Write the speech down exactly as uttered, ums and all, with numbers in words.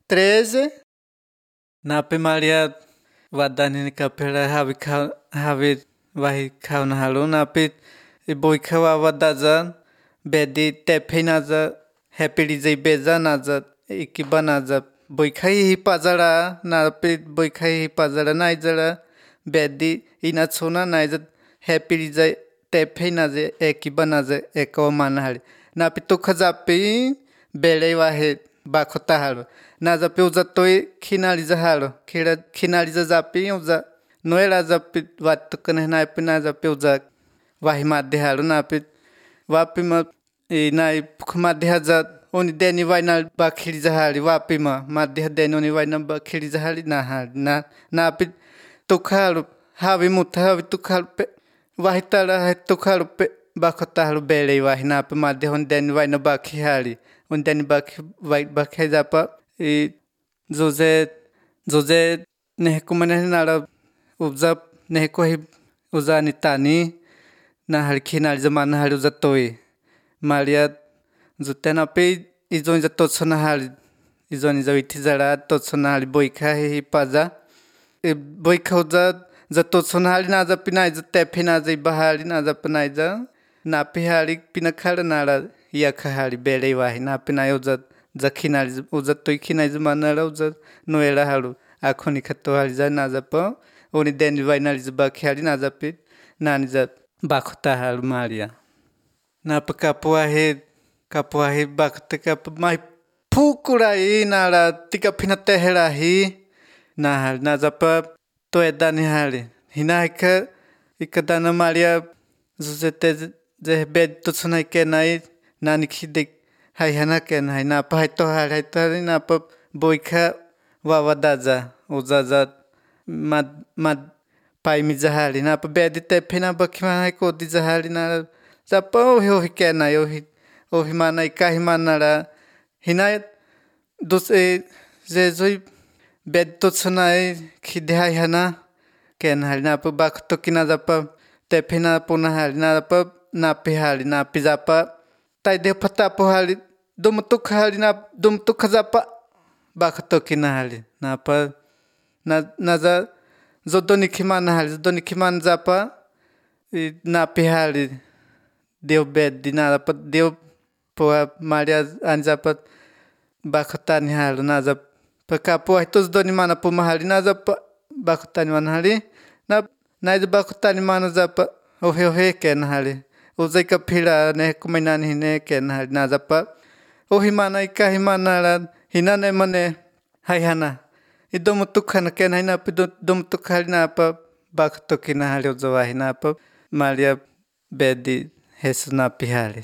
treze. Napi Maria wadani kapela havi havi wahi kauna halu napi boika wawadaza bedi tepinaza happy zai beza naza ikibanaza boikai hi pazara napi boikai hi pazara naizara bedi inatsona naiza happy zai tepinaza ekibanaza ekomana napi tukhazapi bele wahe bakota halu naza pe uza toi khinaliza halu khira khinaliza zapi uza noela zapi watukane naipi naza pe uza wahi madde halu napi wapi ma nai madde haza oni deni waina bakhiliza hali wapi ma madde deni oni waina bakhiliza hali na hali na napi tukhalu havi mutha havi tukhalu pe wahi tala tukhalu pe bakota halu bele wahi napi madde oni deni waina bakhi hali oni deni bakhi vai bakhi zapa i zoze zoze nehkumane nara uza nehkohi uza nitani na hali khinali zamana hali uza toi Maria zutena pe izoni za totsona hali izoni za witizara totsona hali boika hi paza boika uza za totsona hali na za pinai za tepina za bahali na za pinai za na pe hali pinakhala nara yakha hali bele wahi na pinai uza za khinali uza toi khinai zamana ra uza noela halu akhoni khato hali za na za pa oni deni vainali za bakhi hali na za pe nani za bakhota halu Maria na pa kapua he kapua he bakhota kap mai phukurai nara tika phina tehera hi na hal na za pa to edani hali hina ikha ikadana Maria zuzete je bed to sunai ke nai nani khide hai hana ke nai na pa to hal hai to na pa boikha wawadaza uzaza mad mad pai mi zahali na pa bed te phina bakhima hai ko di zahali na zapa ho hi ke nai o hi o hi manai kai manara hina dos e je zoi bed to sunai khide hai hana ke nai na pa bakh to kina zapa te phina puna hali na pa na pe hali na pi zapa tai de phata po hali dum tu khali na dum tu khazapa bakh to kina hali na pa na na za zodoni khimana hali zodoni khiman zapa na pe hali deu bed dina pa deu po Maria anzapa bakhota ni halu na za pa kapo tos doni mana po mahali na za pa bakhota ni mana hali na na za bakhota ni mana za pa ohe ohe ken hali uzai ka phila ne kumaina ni ne ken hali na za pa ohi mana ika hi mana la hina ne mane hai hana idom tukhana ken haina pi dom tukhali na pa bakhto kina hali uzawa hina pa Maria bedi hesna pihali